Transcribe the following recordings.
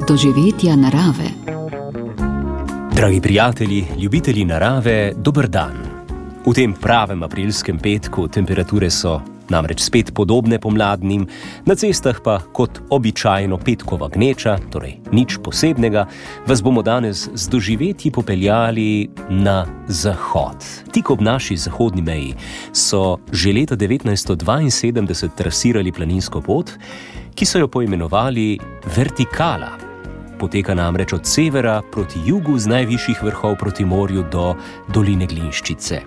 doživetja narave. Dragi prijatelji, ljubitelji narave, dober dan. V tem pravem aprilskem petku temperature so namreč spet podobne pomladnim, na cestah pa kot običajno petkova gneča, torej nič posebnega, vas bomo danes z doživetji popeljali na zahod. Tik ob naši zahodni meji so že leta 1972 trasirali planinsko pot, ki so jo poimenovali Vertikala. Poteka namreč od severa proti jugu z najvišjih vrhov proti morju do doline Glinščice.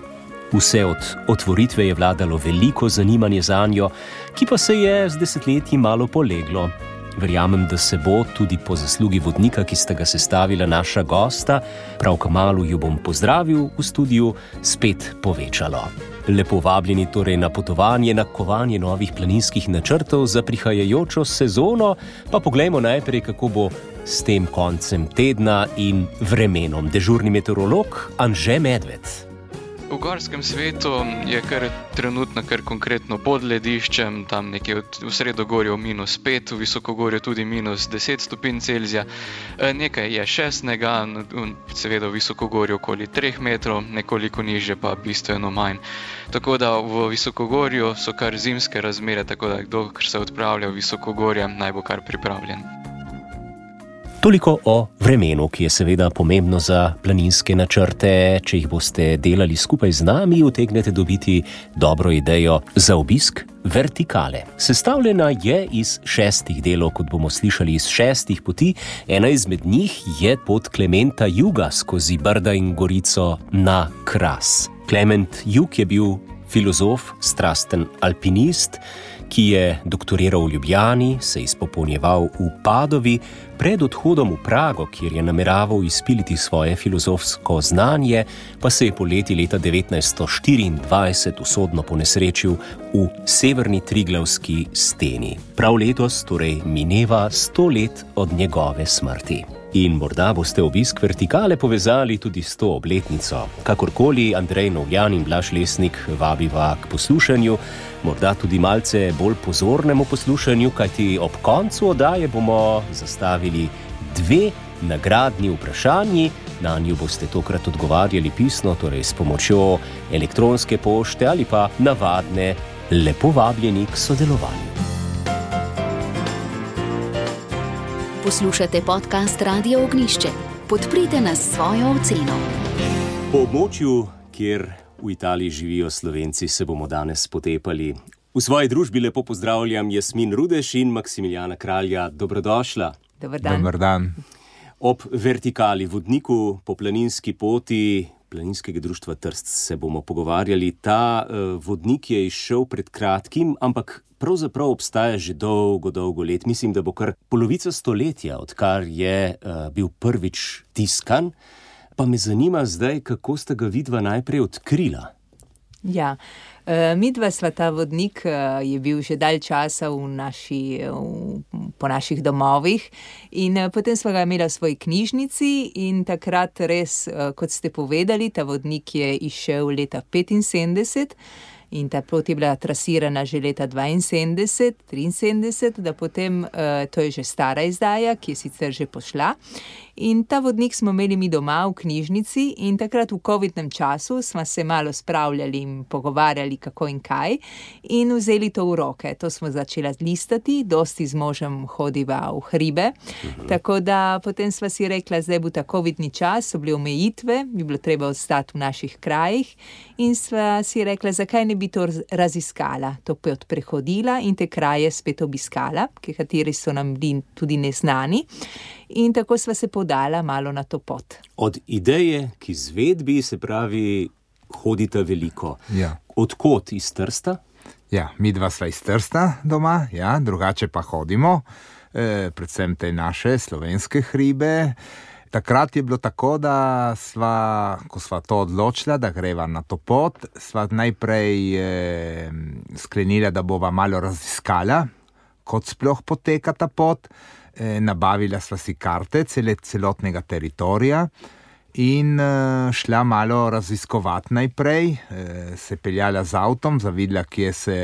Vse od otvoritve je vladalo veliko zanimanje zanjo, ki pa se je z desetletji malo poleglo. Verjamem, da se bo tudi po zaslugi vodnika, ki sta ga sestavila naša gosta, prav kmalu ju bom pozdravil v studiu, spet povečalo. Lepo vabljeni torej na potovanje, na kovanje novih planinskih načrtov za prihajajočo sezono, pa poglejmo najprej, kako bo s tem koncem tedna in vremenom. Dežurni meteorolog Anže Medved. V gorskem svetu je trenutno konkretno pod lediščem, tam nekje v sredogorju -5, v visokogorju tudi -10 stopinj Celzija. Nekaj je 6, seveda v visokogorju okoli 3 metrov, nekoliko nižje pa bistveno manj. Tako da v visokogorju so kar zimske razmere, tako da kdo se odpravlja v visokogorje, naj bo kar pripravljen. Toliko o vremenu, ki je seveda pomembno za planinske načrte. Če jih boste delali skupaj z nami, utegnete dobiti dobro idejo za obisk Vertikale. Sestavljena je iz 6 delov, kot bomo slišali, iz 6 poti. Ena izmed njih je pot Klementa Juga skozi Brda in Gorico na Kras. Klement Jug je bil filozof, strasten alpinist, ki je doktoriral v Ljubljani, se izpopolnjeval v Padovi, pred odhodom v Prago, kjer je nameraval izpiliti svoje filozofsko znanje, pa se je poleti leta 1924 usodno ponesrečil v severni Triglavski steni. Prav letos torej mineva 100 let od njegove smrti. In morda boste obisk Vertikale povezali tudi s to obletnico. Kakorkoli, Andrej Novjan in Blaž Lesnik vabiva k poslušanju, morda tudi malce bolj pozornemu poslušanju, kajti ob koncu oddaje bomo zastavili 2 nagradni vprašanji. Na nju boste tokrat odgovarjali pisno, torej s pomočjo elektronske pošte ali pa navadne, lepo vabljeni k sodelovanju. Poslušate podcast Radio Ognjišče. Podprite nas s svojo oceno. Po območju, kjer v Italiji živijo Slovenci, se bomo danes potepali. V svoji družbi lepo pozdravljam Jasmin Rudeš in Maksimiljana Kralja. Dobrodošla. Dober dan. Dober dan. Ob Vertikali, vodniku po planinski poti Planinskega društva Trst, se bomo pogovarjali. Ta vodnik je izšel pred kratkim, ampak pravzaprav obstaja že dolgo let. Mislim, da bo kar polovica stoletja, odkar je bil prvič tiskan. Pa me zanima zdaj, kako sta ga vidva najprej odkrila. Ja, midva sva ta vodnik, je bil že dalj časa po naših domovih in potem sva ga imela v svoji knjižnici in takrat res, kot ste povedali, ta vodnik je izšel leta 1975 in ta pot je bila trasirana že leta 1972, 1973, da potem, to je že stara izdaja, ki je sicer že pošla. In ta vodnik smo imeli mi doma v knjižnici in takrat v covidnem času smo se malo spravljali in pogovarjali kako in kaj in vzeli to v roke. To smo začela listati, dosti z možem hodiva v hribe, tako da potem sva si rekla, zdaj bo ta covidni čas, so bile omejitve, bi bilo treba ostati v naših krajih in sva si rekla, zakaj ne bi to raziskala, to pot prehodila in te kraje spet obiskala, kateri so nam bili tudi neznani. In tako sva se podala malo na to pot. Od ideje k izvedbi, se pravi, hodita veliko. Ja. Odkot? Iz Trsta? Ja, midva sva iz Trsta doma, ja, drugače pa hodimo, predvsem te naše slovenske hribe. Takrat je bilo tako, da ko sva to odločila, da greva na to pot, sva najprej sklenila, da bova malo raziskala, kot sploh poteka ta pot. Nabavila sva si karte celotnega teritorija in šla malo raziskovati najprej, se peljala z avtom, zavidela, kje se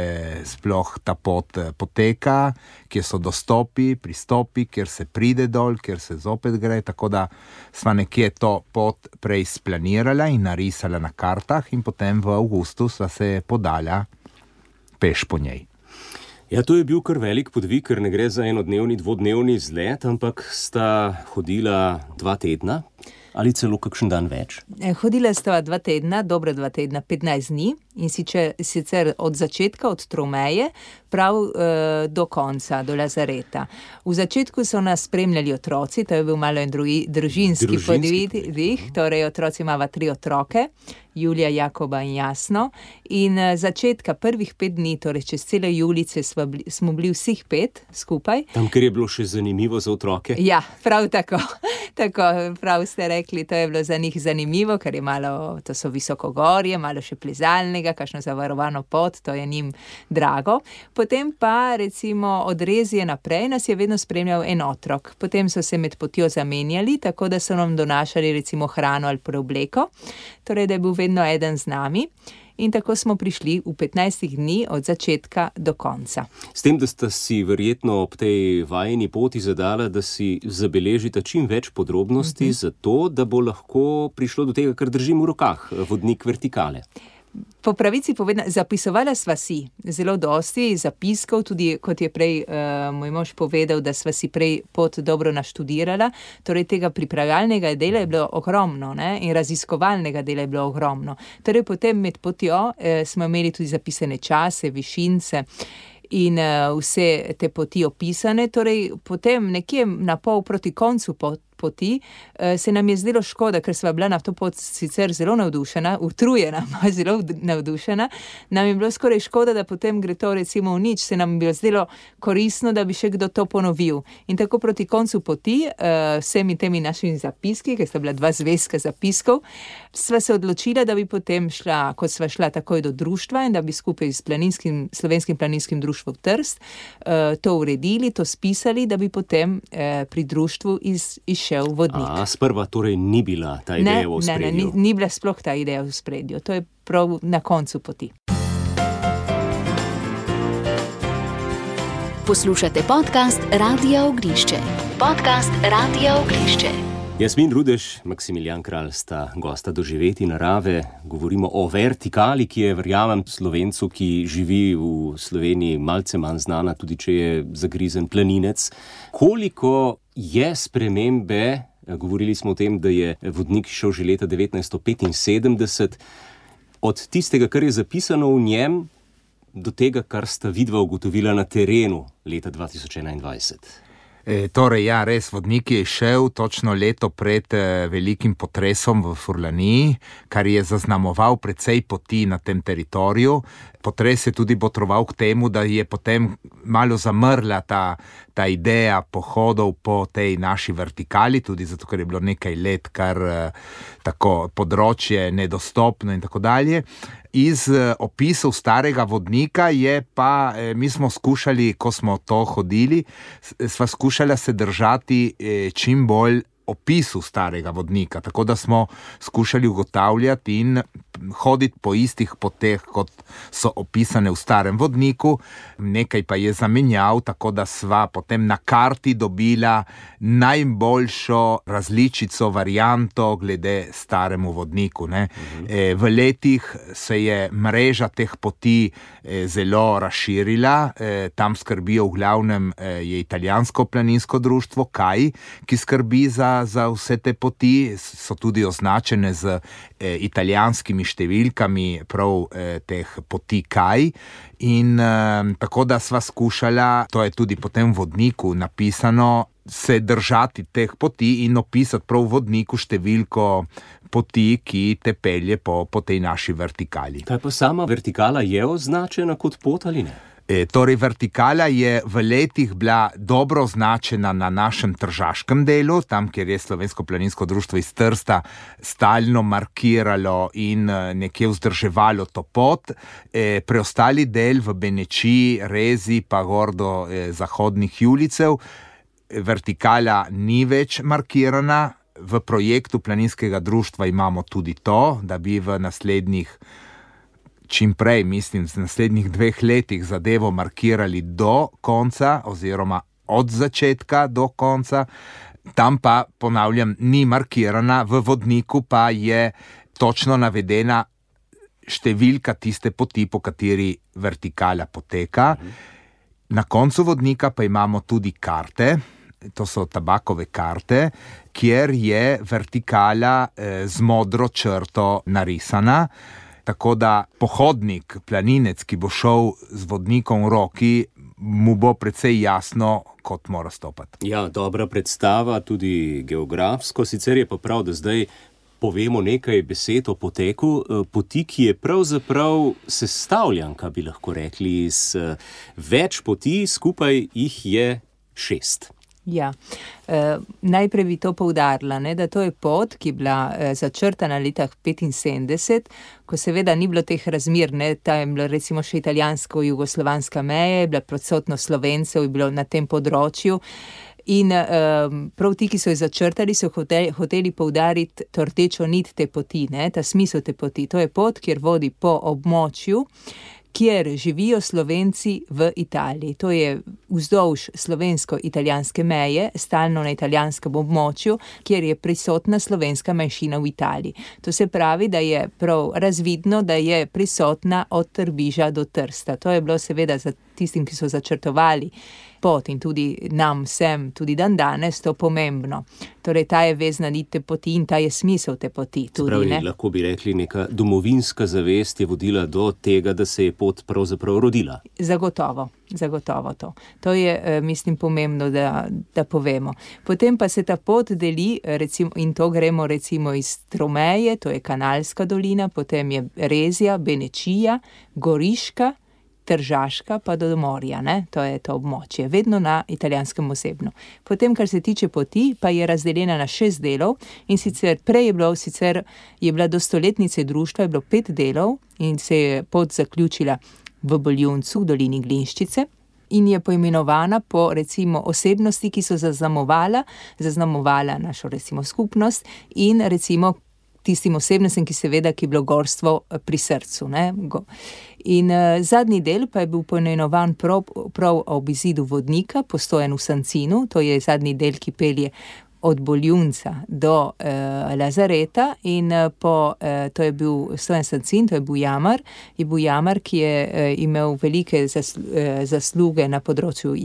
sploh ta pot poteka, kje so dostopi, pristopi, kjer se pride dol, kjer se zopet gre, tako da sva nekje to pot prej splanirala in narisala na kartah in potem v avgustu sva se podala peš po njej. Ja, to je bil kar velik podvig, ker ne gre za enodnevni, dvodnevni izlet, ampak sta hodila 2 tedna ali celo kakšen dan več. Hodila sta 2 tedna, dobra 2 tedna, 15 dni in sicer od začetka, od Tromeje, prav do konca, do Lazareta. V začetku so nas spremljali otroci, to je bil malo en družinski podvig, torej otroci imava 3 otroke, Julija, Jakoba in Jasno. In začetka prvih 5 dni, torej čez cele Julice, smo bili vseh 5 skupaj. Tam, ker je bilo še zanimivo za otroke? Ja, prav tako. Tako, prav ste rekli, to je bilo za njih zanimivo, ker je malo, to so visokogorje, malo še plezalnega, kakšno zavarovano pot, to je njim drago. Potem pa, recimo, od Rezije naprej nas je vedno spremljal en otrok. Potem so se med potjo zamenjali, tako da so nam donašali recimo hrano ali preobleko, torej da je bil vedno eden z nami. In tako smo prišli v 15 dni od začetka do konca. S tem, da sta si verjetno ob tej vajeni poti zadala, da si zabeležita čim več podrobnosti, zato, da bo lahko prišlo do tega, kar držim v rokah, vodnik vertikale. Po pravici povedano, zapisovala sva si zelo dosti zapiskov, tudi kot je prej moj mož povedal, da sva si prej pot dobro naštudirala, torej tega pripravljalnega dela je bilo ogromno, ne? In raziskovalnega dela je bilo ogromno. Torej potem med potjo smo imeli tudi zapisane čase, višince in vse te poti opisane, torej potem nekje na pol proti koncu poti se nam je zdelo škoda, ker sva bila na to pot sicer zelo navdušena, utrujena, zelo navdušena, nam je bilo skoraj škoda, da potem gre to recimo v nič, se nam je bilo zdelo koristno, da bi še kdo to ponovil. In tako proti koncu poti, vsemi temi našimi zapiski, ker sta bila 2 zvezka zapiskov, sva se odločila, da bi potem šla, kot sva šla takoj do društva in da bi skupaj s Slovenskim planinskim društvom Trst to uredili, to spisali, da bi potem pri društvu izšel vodnik. Sprva torej ni bila ta ideja v ospredju? Ne, ni bila sploh ta ideja v ospredju. To je prav na koncu poti. Poslušate podcast Radia Ognišče. Podcast Radia Ognišče. Jasmin Rudež, Maksimilijan Kralj sta gosta Doživeti narave. Govorimo o vertikali, ki je, verjamem, Slovencu, ki živi v Sloveniji, malce manj znana, tudi če je zagrizen planinec. Koliko je spremembe, govorili smo o tem, da je vodnik šel že leta 1975, od tistega, kar je zapisano v njem, do tega, kar sta vidva ugotovila na terenu leta 2021? Torej, ja, res, vodnik je šel točno leto pred velikim potresom v Furlaniji, kar je zaznamoval precej poti na tem teritoriju. Potres je tudi botroval k temu, da je potem malo zamrla ta ideja pohodov po tej naši vertikali, tudi zato, ker je bilo nekaj let, kar tako področje nedostopno in tako dalje. Iz opisov starega vodnika je pa, mi smo skušali, ko smo to hodili, sva skušala se držati čim bolj opisu starega vodnika, tako da smo skušali ugotavljati in hoditi po istih poteh, kot so opisane v starem vodniku. Nekaj pa je zamenjal, tako da sva potem na karti dobila najboljšo različico, varianto glede staremu vodniku, ne. V letih se je mreža teh poti zelo razširila, tam skrbijo v glavnem je italijansko planinsko društvo KAI, ki skrbi za vse te poti, so tudi označene z italijanskimi številkami prav teh poti KAI. In tako da sva skušala, to je tudi potem v vodniku napisano, se držati teh poti in opisati prav v vodniku številko poti, ki te pelje po tej naši vertikali. Kaj pa sama vertikala je označena kot pot ali ne? Torej, vertikala je v letih bila dobro označena na našem tržaškem delu, tam, kjer je Slovensko planinsko društvo iz Trsta stalno markiralo in nekje vzdrževalo to pot. Preostali del v Benečiji, Rezi pa gor do zahodnih Julicev, vertikala ni več markirana, v projektu planinskega društva imamo tudi to, da bi v naslednjih, čim prej, mislim, v naslednjih 2 letih zadevo markirali do konca oziroma od začetka do konca. Tam pa, ponavljam, ni markirana, v vodniku pa je točno navedena številka tiste poti, po kateri vertikala poteka. Na koncu vodnika pa imamo tudi karte, to so tabakove karte, kjer je vertikala z modro črto narisana, tako da pohodnik, planinec, ki bo šel z vodnikom v roki, mu bo precej jasno, kot mora stopati. Ja, dobra predstava, tudi geografsko, sicer je pa prav, da zdaj povemo nekaj besed o poteku poti, ki je pravzaprav sestavljanka, bi lahko rekli, iz več poti, skupaj jih je 6. Ja, najprej bi to poudarila, da to je pot, ki je bila začrtana leta 1975, ko seveda ni bilo teh razmer, ta je bila recimo še italijansko-jugoslovanska meja, je bila prisotno Slovencev, je bilo na tem področju. In prav ti, ki so jo začrtali, so hoteli poudariti to rdečo nit te poti, ta smisel te poti. To je pot, kjer vodi po območju, kjer živijo Slovenci v Italiji. To je vzdolž slovensko-italijanske meje, stalno na italijanskem območju, kjer je prisotna slovenska manjšina v Italiji. To se pravi, da je prav razvidno, da je prisotna od Trbiža do Trsta. To je bilo seveda za tistim, ki so začrtovali pot in tudi nam vsem, tudi dan danes, to pomembno. Torej, ta je vezna nit te poti in ta je smisel te poti. Tudi, lahko bi rekli, neka domovinska zavest je vodila do tega, da se je pot pravzaprav rodila. Zagotovo to. To je, mislim, pomembno, da povemo. Potem pa se ta pot deli, recimo, in to gremo recimo iz Tromeje, to je Kanalska dolina, potem je Rezija, Benečija, Goriška, Tržaška pa do morja, to je to območje, vedno na italijanskem ozemlju. Potem, kar se tiče poti, pa je razdeljena na 6 delov in sicer prej je bila do stoletnice društva, je bilo 5 delov in se je pot zaključila v Boljuncu, v dolini Glinščice in je poimenovana po recimo osebnosti, ki so zaznamovala našo recimo skupnost in recimo tistim osebnostim, ki je bilo gorstvo pri srcu. In zadnji del pa je bil poimenovan prav ob izidu vodnika, postojen v Sancinu, to je zadnji del, ki pelje od Boljunca do Lazareta in to je bil stojen Sancin, to je bil jamar, ki je imel velike zasluge na področju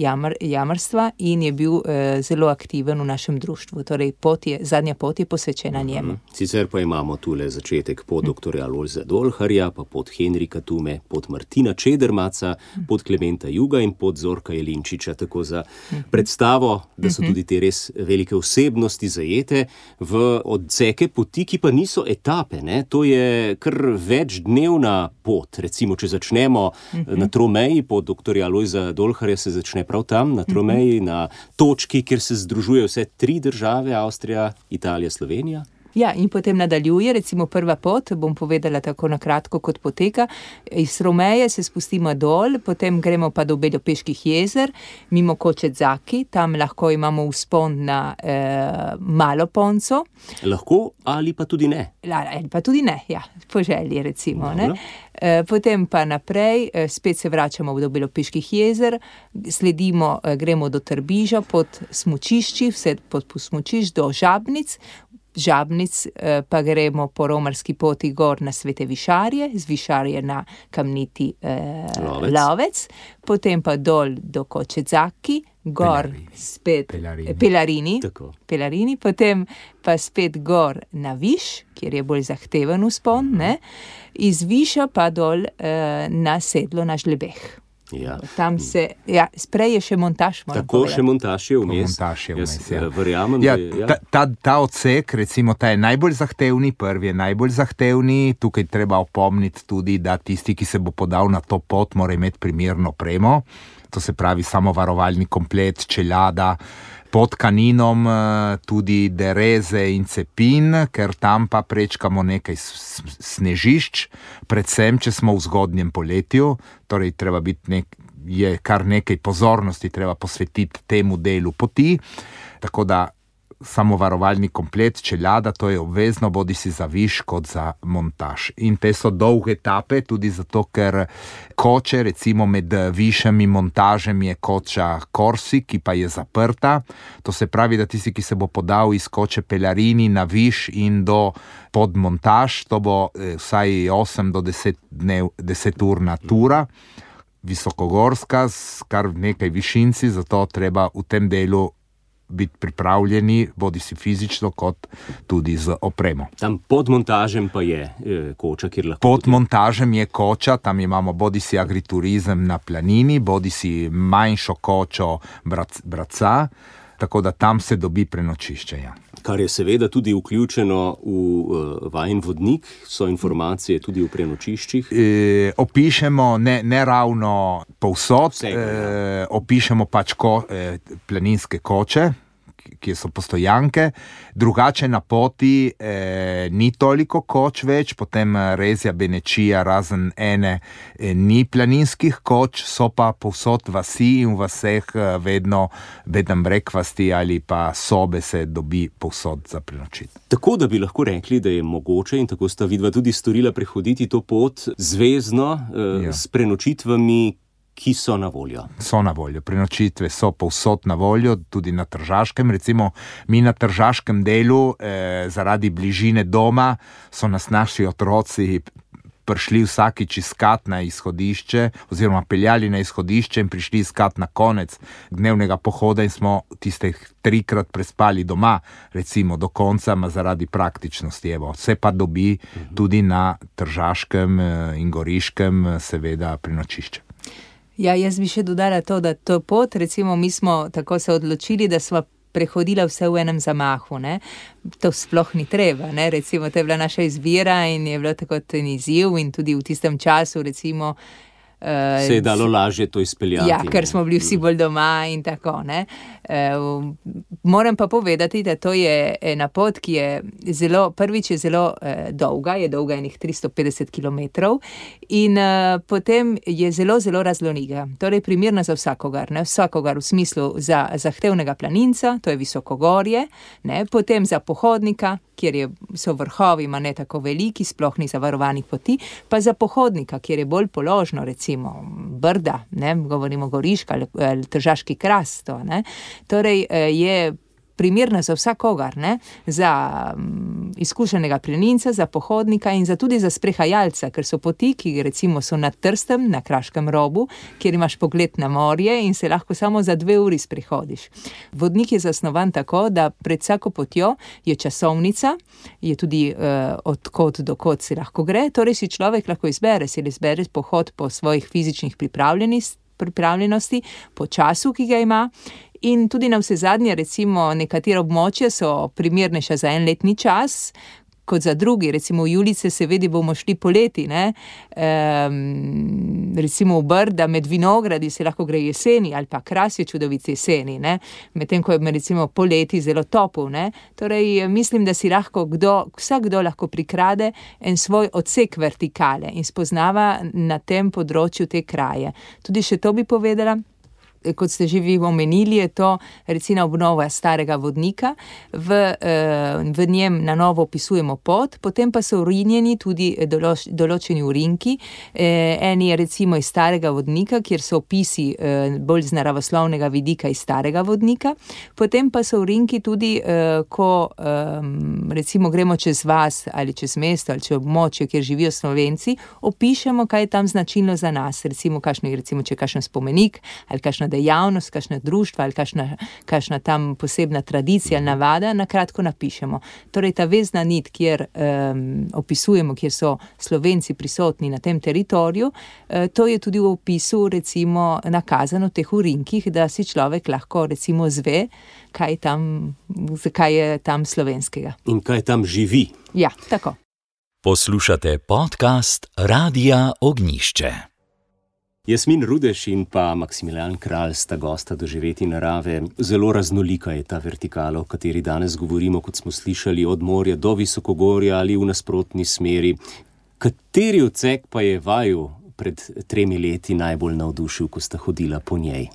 jamarstva in je bil zelo aktiven v našem društvu. Torej, zadnja pot je posvečena njemu. Sicer pa imamo tule začetek pot doktorja Lojza Dolharja, pa pot Henrika Tume, pot Martina Čedermaca, pot Klementa Juga in pot Zorka Jelinčiča, tako za predstavo, da so tudi te res velike osebnosti zajete v odseke poti, ki pa niso etape. To je kar večdnevna pot. Recimo, če začnemo na Tromeji, pot doktorja Lojza Dolharja se začne prav tam, na Tromeji, na točki, kjer se združujejo vse 3 države, Avstrija, Italija, Slovenija. Ja, in potem nadaljuje, recimo prva pot, bom povedala tako na kratko, kot poteka. Iz Romeje se spustimo dol, potem gremo pa do Beljopeških jezer, mimo Kočezaki, tam lahko imamo vzpon na Malo Ponco. Lahko ali pa tudi ne? Ali pa tudi ne, ja, po želji recimo. Potem pa naprej, spet se vračamo do Beljopeških jezer, sledimo, gremo do Trbiža pod smučišči, vse pod smučišč do Žabnic pa gremo po romarski poti gor na Svete Višarje, z Višarje na Kamniti Lovec, potem pa dol do Kočezaki, gor spet Pelarini, potem pa spet gor na Viš, kjer je bolj zahteven vzpon, iz Viša pa dol na sedlo na Žlebeh. Ja. Tam prej je še montaž. Tako, še montaž je vmes. Verjamem, ta odsek, recimo, ta je najbolj zahtevni, prvi je najbolj zahtevni. Tukaj treba opomniti tudi, da tisti, ki se bo podal na to pot, mora imeti primerno opremo. To se pravi samo varovalni komplet, čeljada, pod Kaninom tudi dereze in cepin, ker tam pa prečkamo nekaj snežišč, predvsem, če smo v zgodnjem poletju, torej treba biti je kar nekaj pozornosti treba posvetiti temu delu poti, tako da samovarovalni komplet, čeljada, to je obvezno, bodi si za viš kot za montaž. In te so dolge etape, tudi zato, ker koče, recimo med višem in montažem je koča Corsi, ki pa je zaprta. To se pravi, da tisti, ki se bo podal iz koče Pelarini na viš in do pod montaž, to bo vsaj 8 do 10 urna tura, visokogorska, s kar nekaj višinci, zato treba v tem delu biti pripravljeni, bodi si fizično, kot tudi z opremo. Tam pod montažem pa je koča, kjer lahko... Pod montažem je koča, tam imamo bodi si agriturizem na planini, bodi si manjšo kočo Braca, tako da tam se dobi prenočišče. Ja. Kar je seveda tudi vključeno v vajin vodnik, so informacije tudi v prenočiščih. Opišemo ne ravno povsod, opišemo pač planinske koče, ki so postojanke, drugače na poti ni toliko koč več, potem Rezja Benečija razen ene ni planinskih koč, so pa povsod vasi in v vseh vedno bed and breakfasti ali pa sobe se dobi povsod za prenočiti. Tako da bi lahko rekli, da je mogoče, in tako sta vidva tudi storila, prehoditi to pot zvezno s prenočitvami, ki so na voljo. So na voljo. Prenočitve so povsod na voljo, tudi na Tržaškem. Recimo, mi na Tržaškem delu, zaradi bližine doma, so nas naši otroci prišli vsakič iskat na izhodišče, oziroma peljali na izhodišče in prišli iskat na konec dnevnega pohoda in smo tistih 3-krat prespali doma, recimo do konca, zaradi praktičnosti. Evo, vse pa dobi tudi na Tržaškem in Goriškem seveda prenočišče. Ja, jaz bi še dodala to, da to pot, recimo mi smo tako se odločili, da smo prehodila vse v enem zamahu, ne. To sploh ni treba, ne. Recimo, to je bila naša izbira in je bilo tako ten izziv in tudi v tistem času, recimo, se je dalo lažje to izpeljati. Ja, ker smo bili vsi bolj doma in tako, ne. Moram pa povedati, da to je ena pot, ki je zelo, prvič je zelo dolga, je dolga enih 350 kilometrov in potem je zelo, zelo raznoliko. Torej primerna za vsakogar, ne, vsakogar v smislu za zahtevnega planinca, to je visokogorje, ne, potem za pohodnika, kjer so vrhovi, ma ne tako veliki, sploh ni zavarovanih poti, pa za pohodnika, kjer je bolj položno, recimo Brda, ne, govorimo Goriška ali Tržaški kras, to, ne. Torej je primerna za vsakogar, ne, za izkušenega planinca, za pohodnika in tudi za sprehajalca, ker so poti, ki recimo so nad Trstem, na Kraškem robu, kjer imaš pogled na morje in se lahko samo za 2 uri sprehodiš. Vodnik je zasnovan tako, da pred vsako potjo je časovnica, je tudi od kod do kod se lahko gre, torej si človek lahko izbere pohod po svojih fizičnih pripravljenosti, po času, ki ga ima. In tudi na vse zadnje, recimo, nekatera območja so primernejša za 1-letni čas, kot za drugi. Recimo v Julice seveda bomo šli poleti, ne. Recimo v Brda med vinogradi se lahko gre jeseni, ali pa Kras je čudovit jeseni, ne. Medtem ko je recimo poleti zelo topel, ne. Torej, mislim, da si lahko vsakdo lahko prikrade en svoj odsek vertikale in spoznava na tem področju te kraje. Tudi še to bi povedala. Kot ste že vi omenili, je to recimo obnova starega vodnika, v njem na novo opisujemo pot, potem pa so urinjeni tudi določeni urinki, eni je recimo iz starega vodnika, kjer so opisi bolj z naravoslovnega vidika iz starega vodnika, potem pa so urinki tudi, ko recimo gremo čez vas ali čez mesto ali čez območje, kjer živijo Slovenci, opišemo, kaj je tam značilno za nas, recimo če je kakšen spomenik ali kakšna dejavnost, kakšna društva ali kakšna tam posebna tradicija ali navada, na kratko napišemo. Torej ta vezna nit, kjer opisujemo, kjer so Slovenci prisotni na tem teritoriju, to je tudi v opisu recimo nakazano v teh urinkih, da si človek lahko recimo zve, kaj je tam slovenskega. In kaj tam živi. Ja, tako. Poslušate podcast Radia Ognjišče. Jasmin Rudeš in pa Maksimilijan Kralj sta gosta Doživeti narave. Zelo raznolika je ta vertikala, o kateri danes govorimo, kot smo slišali, od morja do visokogorja ali v nasprotni smeri. Kateri odsek pa je vaju pred 3 leti najbolj navdušil, ko sta hodila po njej?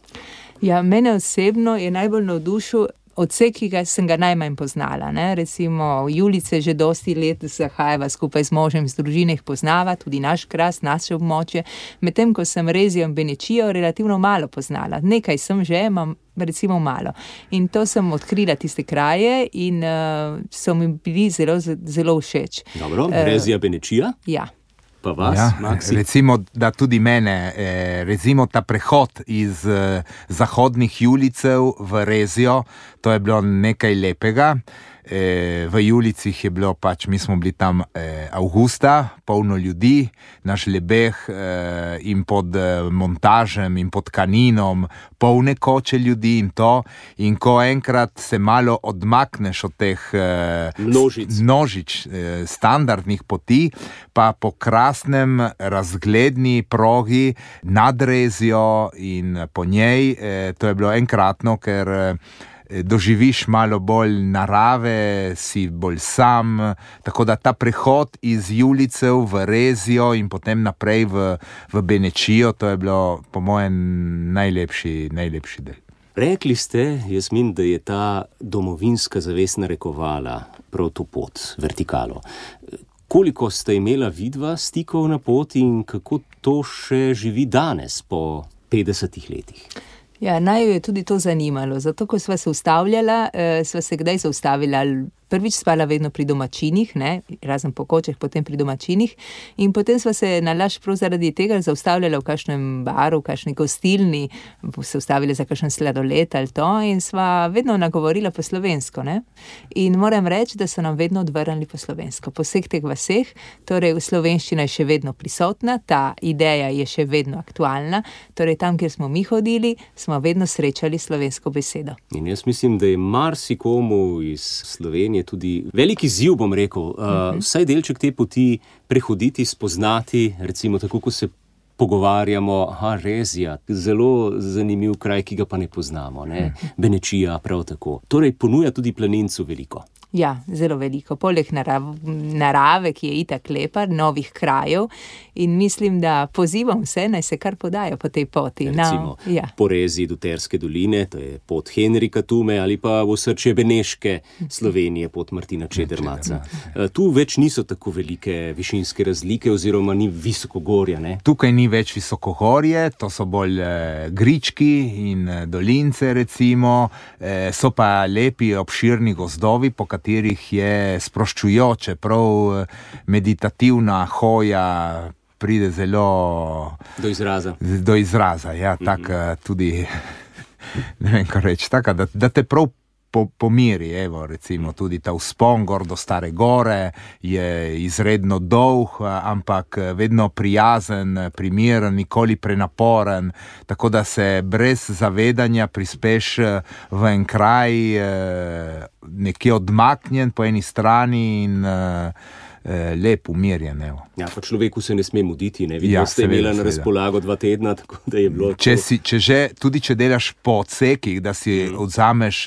Ja, mene osebno je najbolj navdušil odsek, ki sem ga najmanj poznala. Ne? Recimo Julice že dosti let zahajava skupaj z možem, z družine jih poznava, tudi naš kras, naše območje, medtem ko sem Rezijo in Benečijo relativno malo poznala. Nekaj sem že, imam recimo malo. In to sem odkrila tiste kraje in so mi bili zelo, zelo všeč. Dobro, Rezija, Benečija? Ja. Pa vas, Maksi? Recimo, da tudi mene, recimo ta prehod iz zahodnih Julicev v Rezijo, to je bilo nekaj lepega. V Julicih je bilo pač, mi smo bili tam avgusta, polno ljudi, naš lebeh in pod montažem in pod kaninom, polne koče ljudi in to. In ko enkrat se malo odmakneš od teh množic standardnih poti, pa po krasnem razgledni progi nad Rezijo in po njej, to je bilo enkratno, ker doživiš malo bolj narave, si bolj sam, tako da ta prehod iz Julicev v Rezijo in potem naprej v Benečijo, to je bilo po mojem najlepši del. Rekli ste, Jasmin, da je ta domovinska zavest narekovala prav to pot, vertikalo. Koliko ste imela vidva stikov na poti in kako to še živi danes po 50 letih? Ja, naj jo je tudi to zanimalo, zato ko sva se ustavljala, sva se kdaj zaustavila, prvič spala vedno pri domačinih, ne, razen po kočeh, potem pri domačinih in potem sva se nalaž prav zaradi tega zaustavljala v kakšnem baru, v kakšni gostilni, se ustavili za kakšen sladoled ali to in sva vedno nagovorila po slovensko, ne. In moram reči, da so nam vedno odvrnili po slovensko, po vseh teh vaseh, torej slovenščina je še vedno prisotna, ta ideja je še vedno aktualna, torej tam, kjer smo mi hodili, smo vedno srečali slovensko besedo. In jaz mislim, da je marsikomu iz Slovenije tudi velik izziv, bom rekel, vsaj delček te poti prehoditi, spoznati, recimo tako, ko se pogovarjamo, Rezija, zelo zanimiv kraj, ki ga pa ne poznamo, ne? Benečija prav tako. Torej ponuja tudi planincu veliko. Ja, zelo veliko. Poleg narave, ki je itak lepa, novih krajev in mislim, da pozivam vse, naj se kar podajo po tej poti. Recimo, po Reziji do Terske doline, to je pot Henrika Tume ali pa v osrčje Beneške Slovenije, pot Martina Čedermaca. Tu več niso tako velike višinske razlike oziroma ni visokogorja, ne? Tukaj ni več visokogorje, to so bolj grički in dolince recimo, so pa lepi obširni gozdovi, po katerih je sproščujoče, prav meditativna hoja pride zelo do izraza, ja, tako tudi, ne vem, kaj reči, tako, da te prav pomiri, evo, recimo tudi ta vzpon gor do Stare gore je izredno dolg, ampak vedno prijazen, primiren, nikoli prenaporen, tako da se brez zavedanja prispeš v en kraj nekje odmaknjen po eni strani in lep, umirjen. Ja, pa človeku se ne sme muditi, ne? Vidno ste imela na razpolago 2 tedna, tako da je bilo... Tudi če delaš po odsekih, da si odzameš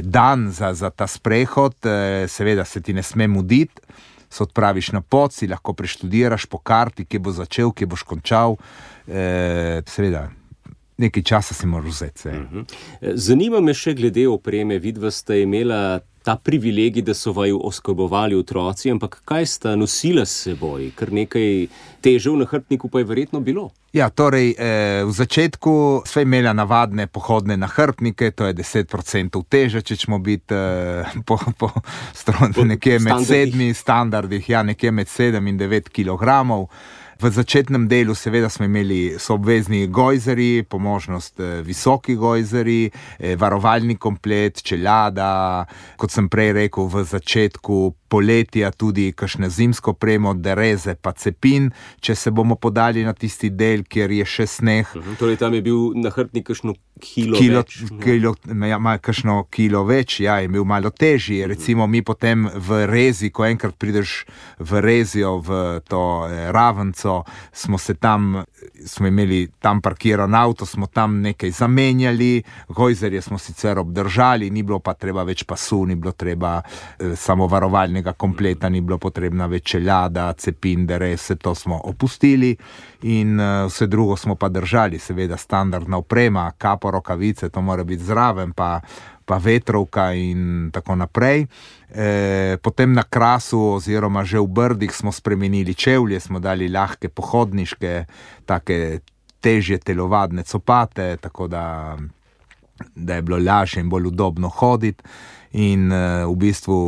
dan za ta sprehod, seveda se ti ne sme muditi, se odpraviš na pot, si lahko preštudiraš po karti, kje bo začel, kje boš končal, seveda... Nekaj časa si moraš vzeti. Zanima me še glede opreme. Vidva sta imela ta privilegij, da so vaju oskrbovali otroci, ampak kaj sta nosila s seboj? Kar nekaj teže v nahrbtniku pa je verjetno bilo. Ja, torej, v začetku sva imela navadne pohodne nahrbtnike, to je 10% teže, če ćemo biti nekje med 7 standardih, ja, nekje med 7 in 9 kilogramov. V začetnem delu seveda smo imeli obvezni gojzeri, po možnost visoki gojzeri, varovalni komplet, čeljada, kot sem prej rekel, v začetku poletja tudi kakšne zimsko opremo, dereze pa cepin, če se bomo podali na tisti del, kjer je še sneh. Torej tam je bil nahrbtnik kakšno kilo več? Kakšno kilo več, ja, je bil malo težji. Recimo mi potem v Rezi, ko enkrat prideš v Rezijo, v to Ravenco, smo imeli tam parkiran avto, smo tam nekaj zamenjali, gojzerje smo sicer obdržali, ni bilo pa treba več pasu, ni bilo treba samo varovalnega kompleta, ni bilo potrebna več čeljada, cepin, derez, vse to smo opustili in vse drugo smo pa držali, seveda standardna oprema, kapo, rokavice, to mora biti zraven, pa pa Vetrovka in tako naprej. Potem na Krasu oziroma že v Brdih smo spremenili čevlje, smo dali lahke pohodniške, take težje telovadne copate, tako da je bilo lažje in bolj udobno hoditi in v bistvu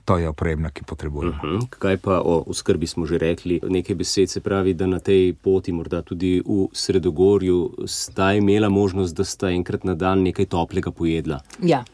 to je oprema, ki potrebujemo. Kaj pa o oskrbi smo že rekli? Nekaj besed, se pravi, da na tej poti, morda tudi v Sredogorju, sta imela možnost, da sta enkrat na dan nekaj toplega pojedla. Ja,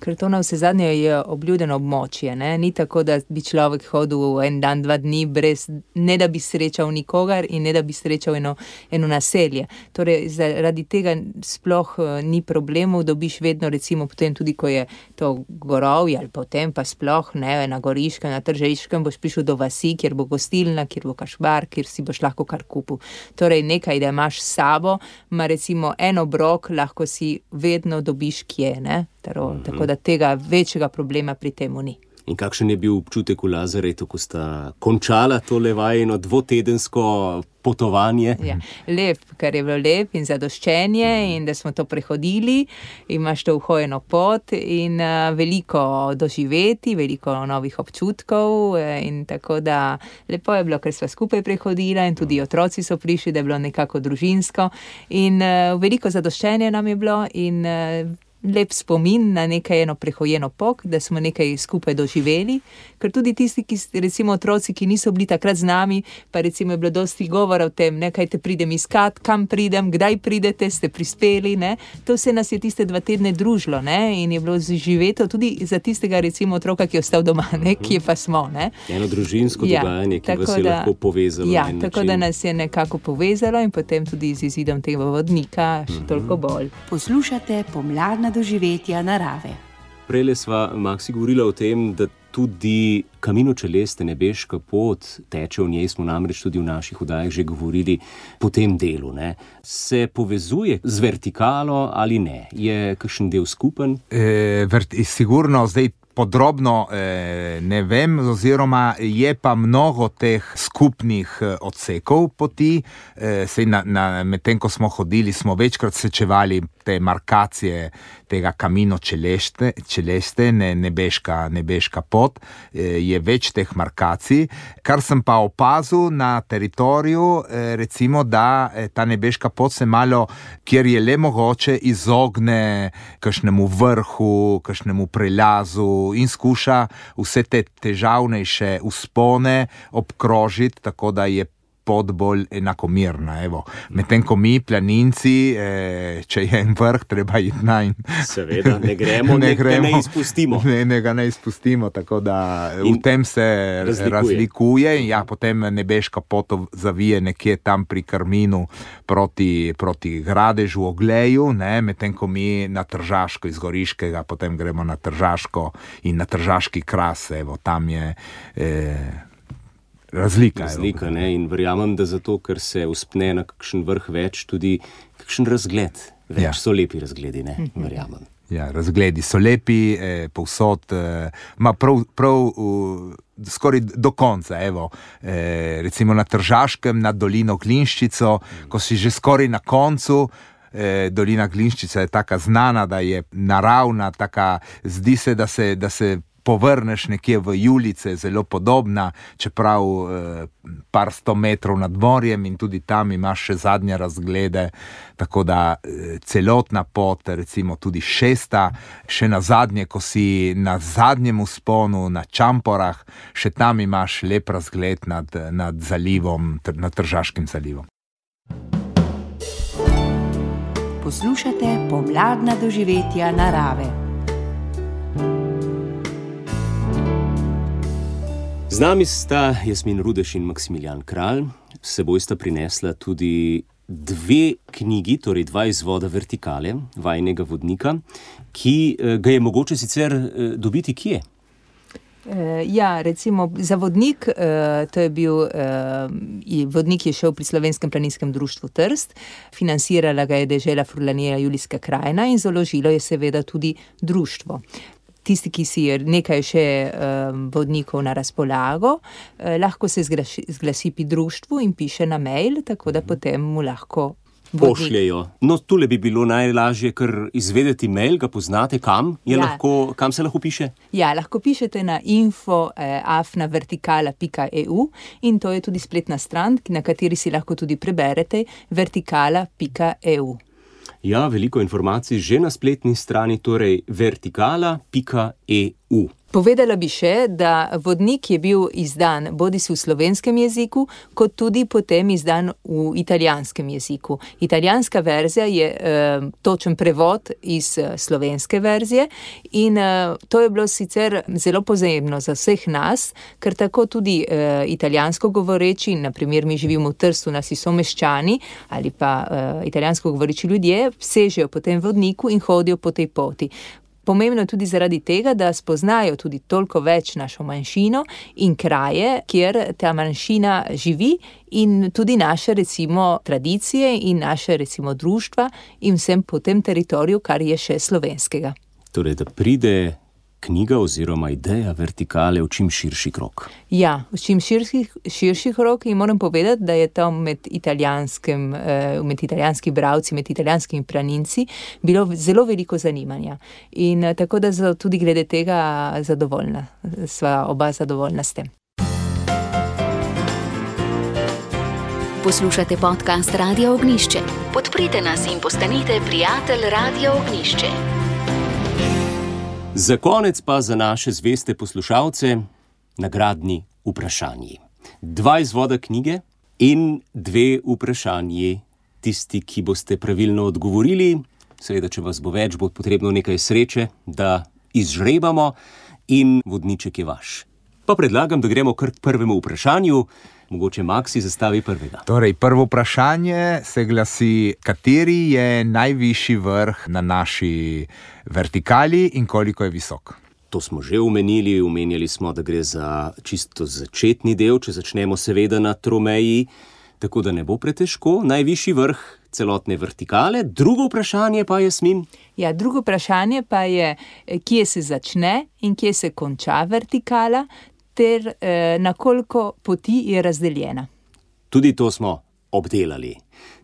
ker to na vse zadnje je obljudeno območje. Ne? Ni tako, da bi človek hodil en dan, 2 dni, brez, ne da bi srečal nikogar in ne da bi srečal eno naselje. Torej, zaradi tega sploh ni problemov, dobiš vedno, recimo potem tudi, ko je to gorovje ali potem pa sploh, ne, na Goriškem, na Tržiškem, boš prišel do vasi, kjer bo gostilna, kjer bo kašbar, kjer si boš lahko kar kupil. Torej, nekaj, da imaš s sabo, ima recimo en obrok, lahko si vedno dobiš kje, ne? Tako da tega večjega problema pri temu ni. In kakšen je bil občutek v Lazaretu, ko sta končala tole vajino 2-tedensko potovanje? Ja, lep, ker je bilo lep in zadoščenje in da smo to prehodili, imaš to uhojeno pot in veliko doživeti, veliko novih občutkov in tako da lepo je bilo, ker sva skupaj prehodila in tudi otroci so prišli, da je bilo nekako družinsko in veliko zadoščenje nam je bilo in lep spomin na nekaj eno prehojeno pot, da smo nekaj skupaj doživeli, ker tudi tisti, ki, recimo otroci, ki niso bili takrat z nami, pa recimo je bilo dosti govora o tem, ne, kaj te pridem iskat, kam pridem, kdaj pridete, ste prispeli, ne, to vse nas je tiste 2 tedne družilo, ne, in je bilo živeto tudi za tistega recimo otroka, ki je ostal doma, ne, kje pa smo, ne. Eno družinsko dogajanje, ki vas je lahko povezalo. Ja, tako da nas je nekako povezalo in potem tudi z izidom tega vodnika še toliko bolj. Poslušate Pomladna doživetja narave. Prejle sva, Maksi, govorila o tem, da tudi Camino Celeste, nebeška pot, teče v njej, smo namreč tudi v naših oddajah že govorili po tem delu, ne. Se povezuje z vertikalo ali ne? Je kakšen del skupen? Sigurno, zdaj podrobno ne vem, oziroma je pa mnogo teh skupnih odsekov poti. Medtem ko smo hodili, smo večkrat srečevali te markacije tega Camino Celeste, nebeška pot, je več teh markacij. Kar sem pa opazil na teritoriju, recimo, da ta nebeška pot se malo, kjer je le mogoče, izogne kakšnemu vrhu, kakšnemu prelazu in skuša vse te težavnejše vzpone obkrožiti, tako da je pot bolj enakomirna. Medtem ko mi, planinci, če je en vrh, treba iti najn. Seveda, ne gremo, ne izpustimo. Ne ga ne izpustimo, tako da v tem se razlikuje. Ja, potem nebeška pot zavije nekje tam pri Karminu proti Gradežu, Ogleju, ne, medtem ko mi na Tržaško iz Goriškega, potem gremo na Tržaško in na Tržaški Kras, tam je razlika, ne, in verjamem, da zato, ker se vzpne na kakšen vrh več, tudi kakšen razgled. Več so lepi razgledi, ne, verjamem. Ja, razgledi so lepi, povsod, prav skoraj do konca, recimo na Tržaškem, nad dolino Glinščico, ko si že skoraj na koncu. Dolina Glinščica je taka znana, da je naravna, taka, zdi se, da se povrneš nekje v Julice, zelo podobna, čeprav par 100 metrov nad morjem in tudi tam imaš še zadnje razglede, tako da celotna pot, recimo tudi 6., še na zadnje, ko si na zadnjem vzponu, na Čamporah, še tam imaš lep razgled nad zalivom, nad Tržaškim zalivom. Poslušate Pomladna doživetja narave. Z nami sta Jasmin Rudeš in Maksimilijan Kralj. S seboj sta prinesla tudi 2 knjigi, torej 2 izvoda vertikale, vajinega vodnika, ki ga je mogoče sicer dobiti kje? Ja, recimo za vodnik, to je bil, vodnik je šel pri Slovenskem planinskem društvu Trst, financirala ga je dežela Furlanija Julijska krajina in založilo je seveda tudi društvo. Tisti, ki si je nekaj še vodnikov na razpolago, lahko se zglasi pri društvu in piše na mail, tako da potem mu lahko pošljejo. No, tule bi bilo najlažje, ker izvedeti mail, ga poznate, kam se lahko piše? Ja, lahko pišete na info@vertikala.eu in to je tudi spletna stran, na kateri si lahko tudi preberete vertikala.eu. Ja, veliko informacij že na spletni strani, torej vertikala.eu. Povedala bi še, da vodnik je bil izdan bodisi v slovenskem jeziku, kot tudi potem izdan v italijanskem jeziku. Italijanska verzija je točen prevod iz slovenske verzije in to je bilo sicer zelo pomembno za vseh nas, ker tako tudi italijansko govoreči, naprimer mi živimo v Trstu, nasi someščani ali pa italijansko govoreči ljudje, sežejo po tem vodniku in hodijo po tej poti. Pomembno je tudi zaradi tega, da spoznajo tudi toliko več našo manjšino in kraje, kjer ta manjšina živi in tudi naše recimo tradicije in naše recimo društva in vsem po tem teritoriju, kar je še slovenskega. Torej, da pride knjiga oziroma ideja vertikale v čim širši krog. Ja, v čim širši krog in moram povedati, da je tam med italijanskimi bralci, med italijanskimi planinci bilo zelo veliko zanimanja. In tako da tudi glede tega zadovoljna, sva oba zadovoljna s tem. Poslušate podcast Radia Ognjišče. Podprite nas in postanite prijatelj Radia Ognjišče. Za konec pa za naše zveste poslušalce nagradni vprašanji. 2 izvoda knjige in 2 vprašanji. Tisti, ki boste pravilno odgovorili, seveda, če vas bo več, bo potrebno nekaj sreče, da izžrebamo in vodniček je vaš. Pa predlagam, da gremo kar k prvemu vprašanju. Mogoče Maksi zastavi prvega. Torej, prvo vprašanje se glasi, kateri je najvišji vrh na naši vertikali in koliko je visok? To smo že omenjali smo, da gre za čisto začetni del, če začnemo seveda na tromeji, tako da ne bo pretežko. Najvišji vrh celotne vertikale. Drugo vprašanje pa je, Jasmin? Ja, drugo vprašanje pa je, kje se začne in kje se konča vertikala, ter na koliko poti je razdeljena. Tudi to smo obdelali.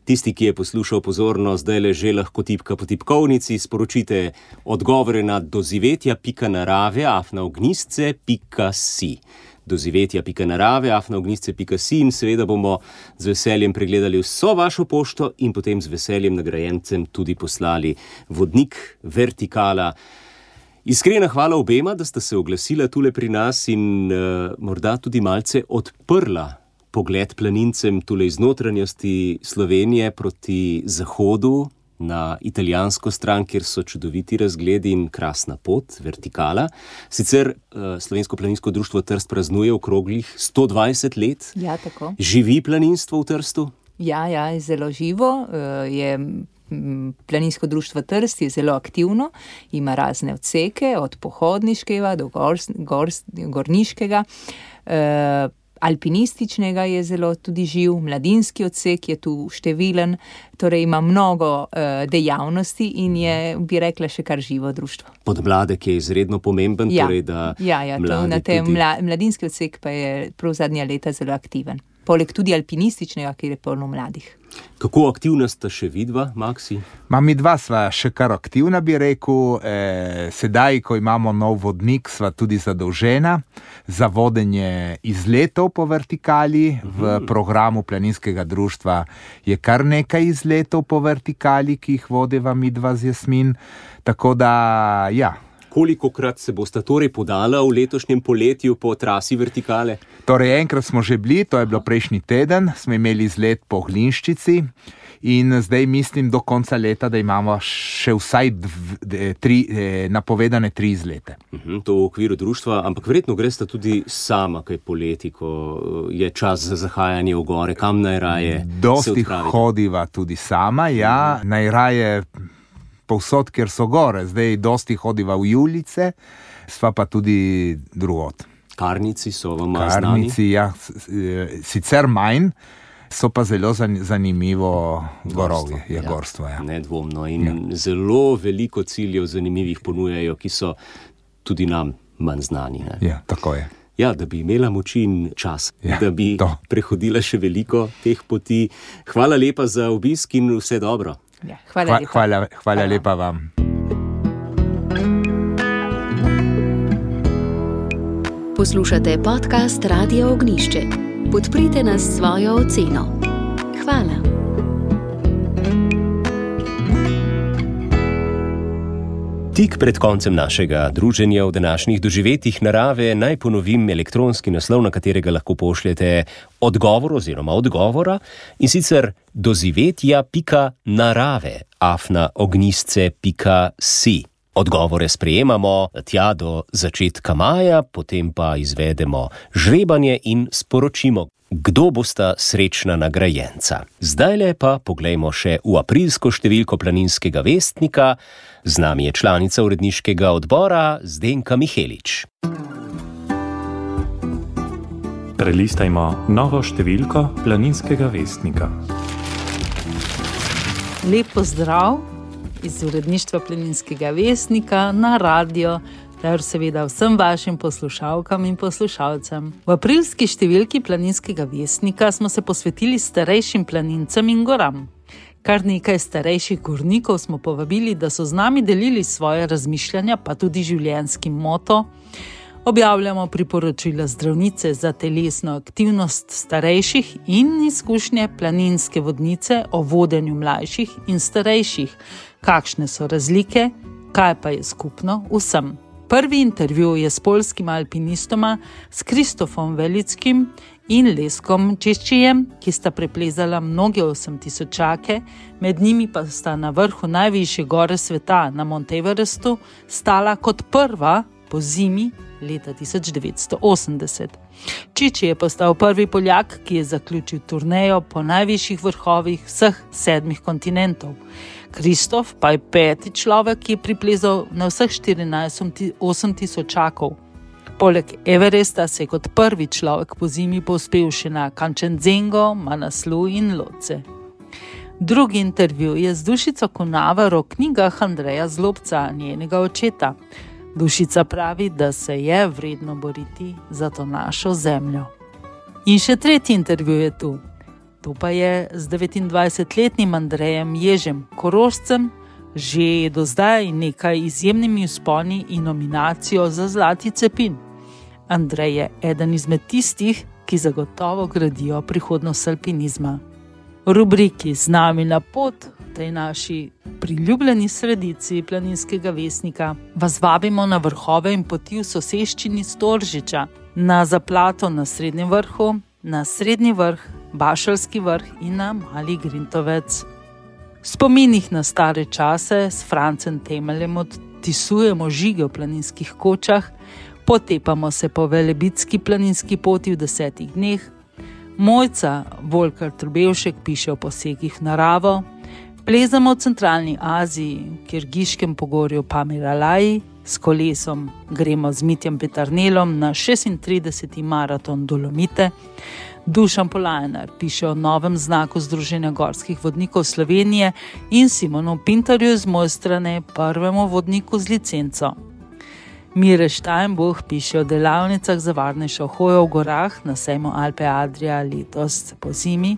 Tisti, ki je poslušal pozorno, zdaj že lahko tipka po tipkovnici, sporočite odgovore na dozivetja.narave@ognjisce.si. dozivetja.narave@ognjisce.si in seveda bomo z veseljem pregledali vso vašo pošto in potem z veseljem nagrajencem tudi poslali vodnik vertikala. Iskrena hvala obema, da sta se oglasila tule pri nas in morda tudi malce odprla pogled planincem tule iz notranjosti Slovenije proti zahodu na italijansko stran, kjer so čudoviti razgledi in krasna pot, vertikala. Sicer Slovensko planinsko društvo Trst praznuje okroglih 120 let. Ja, tako. Živi planinstvo v Trstu? Ja, je zelo živo. Planinsko društvo Trst je zelo aktivno, ima razne odseke, od pohodniškega do gorniškega, alpinističnega je zelo tudi živ, mladinski odsek je tu številen, torej ima mnogo dejavnosti in je, bi rekla, še kar živo društvo. Podmladek je izredno pomemben, torej da mladinski odsek pa je prav zadnja leta zelo aktiven. Poleg tudi alpinističnega, kjer je polno mladih. Kako aktivna sta še vidva, Maksi? Mi dva sva še kar aktivna, bi rekel. Sedaj, ko imamo nov vodnik, sva tudi zadolžena za vodenje izletov po vertikali. V programu planinskega društva je kar nekaj izletov po vertikali, ki jih vodiva mi dva z Jasmin. Tako da, ja. Kolikokrat se bosta torej podala v letošnjem poletju po trasi vertikale? Torej, enkrat smo že bili, to je bilo prejšnji teden, smo imeli izlet po Glinščici in zdaj mislim do konca leta, da imamo še vsaj napovedane 3 izlete. To v okviru društva, ampak verjetno gresta tudi sama kaj poleti, ko je čas za zahajanje v gore, kam najraje se odpraviti? Dosti hodiva tudi sama, ja, najraje povsod, kjer so gore. Zdaj dosti hodiva v Julice, sva pa tudi drugod. Karnici so vam znani? Karnici, ja, sicer manj, so pa zelo zanimivo gorovje, je gorstvo. Ja. Nedvomno in zelo veliko ciljev zanimivih ponujajo, ki so tudi nam manj znani. Ne? Ja, tako je. Ja, da bi imela moči in čas, da bi prehodila še veliko teh poti. Hvala lepa za obisk in vse dobro. Ja, hvala lepa vam. Poslušate podcast Radia Ognišče. Podprite nas s svojo oceno. Hvala. Tik pred koncem našega druženja v današnjih doživetjih narave naj ponovim elektronski naslov, na katerega lahko pošljete odgovora, in sicer dozivetja.narave@ognisce.si. Odgovore sprejemamo tja do začetka maja, potem pa izvedemo žrebanje in sporočimo, kdo bosta srečna nagrajenca. Zdajle pa poglejmo še v aprilsko številko Planinskega vestnika. Z nami je članica uredniškega odbora Zdenka Mihelič. Prelistajmo novo številko Planinskega vestnika. Lep pozdrav iz uredništva Planinskega vestnika na radio ter seveda vsem vašim poslušalkam in poslušalcem. V aprilski številki Planinskega vestnika smo se posvetili starejšim planincem in goram. Kar nekaj starejših gornikov smo povabili, da so z nami delili svoje razmišljanja, pa tudi življenjski moto. Objavljamo priporočila zdravnice za telesno aktivnost starejših in izkušnje planinske vodnice o vodenju mlajših in starejših. Kakšne so razlike, kaj pa je skupno vsem. Prvi intervju je s poljskima alpinistoma, s Kristofom Velickim in Leskom Češčijem, ki sta preplezala mnoge 8000-čake, med njimi pa sta na vrhu najvišje gore sveta, na Mount Everestu, stala kot prva po zimi leta 1980. Čiči je postal prvi Poljak, ki je zaključil turnejo po najvišjih vrhovih vseh 7 kontinentov. Kristof pa je 5. človek, ki je priplezal na vseh 14 8000-čakov. Poleg Everesta se je kot prvi človek po zimi povzpel še na Kanchenjungo, Manaslu in Lhotse. Drugi intervju je z Dušico Kunaver o knjigah Andreja Zlobca, njenega očeta. Dušica pravi, da se je vredno boriti za to našo zemljo. In še tretji intervju je tu. To pa je z 29-letnim Andrejem Ježem, Korošcem, že je do zdaj nekaj izjemnimi vzponi in nominacijo za Zlati cepin. Andrej je eden izmed tistih, ki zagotovo gradijo prihodnost alpinizma. V rubriki Z nami na pot, v tej naši priljubljeni sredici Planinskega vestnika, vas vabimo na vrhove in poti v soseščini Storžiča, na zaplato na Srednjem vrhu, na Srednji vrh, Bašalski vrh in na Mali Grintovec. V spominih na stare čase s Francem Temeljem odtisujemo žige v planinskih kočah, potepamo se po Velebitski planinski poti v 10 dneh, Mojca Volkar Trubevšek piše o posegih v naravo, plezamo v centralni Aziji, v Kirgiškem pogorju Pamiralaji, s kolesom gremo z Mitjem Petarnelom na 36. maraton Dolomite, Dušan Polajnar piše o novem znaku Združenja gorskih vodnikov Slovenije in Simonu Pintarju z moje strani, prvemu vodniku z licenco. Mire Steinbuch piše o delavnicah za varnejšo hojo v gorah na sejmu Alpe Adria letos po zimi,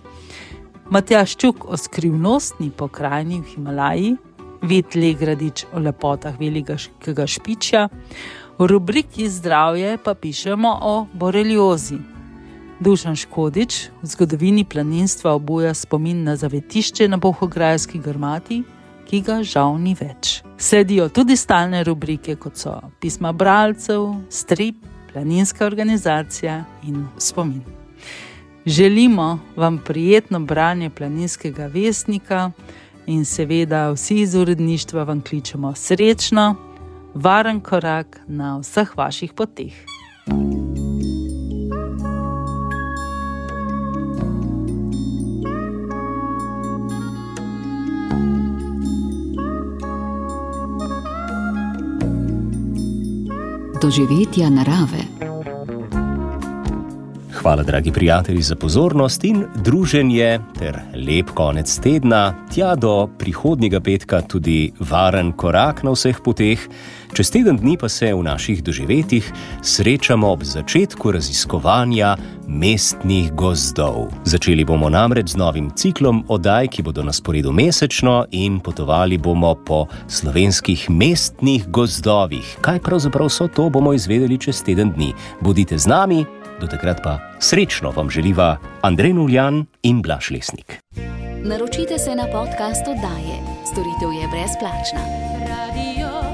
Matjaž Čuk o skrivnostni pokrajini v Himalaji, Vid Legradič o lepotah Velikega Špičja, v rubriki Zdravje pa pišemo o boreliozi. Dušan Škodič v zgodovini planinstva obuja spomin na zavetišče na Bohograjski grmati, ki ga žal ni več. Sledijo tudi stalne rubrike, kot so pisma bralcev, strip, planinska organizacija in spomin. Želimo vam prijetno branje Planinskega vestnika in seveda vsi iz uredništva vam kličemo srečno, varen korak na vseh vaših poteh. Doživetja narave. Hvala, dragi prijatelji, za pozornost in druženje ter lep konec tedna, tja do prihodnjega petka tudi varen korak na vseh poteh. Čez teden dni pa se v naših doživetjih srečamo ob začetku raziskovanja mestnih gozdov. Začeli bomo namreč z novim ciklom oddaj, ki bodo na sporedu mesečno, in potovali bomo po slovenskih mestnih gozdovih. Kaj pravzaprav so to, bomo izvedeli čez teden dni. Bodite z nami. Do takrat pa srečno vam želiva Andrej Nuljan in Blaž Lesnik. Naročite se na podcast oddaje. Storitev je brezplačna. Radio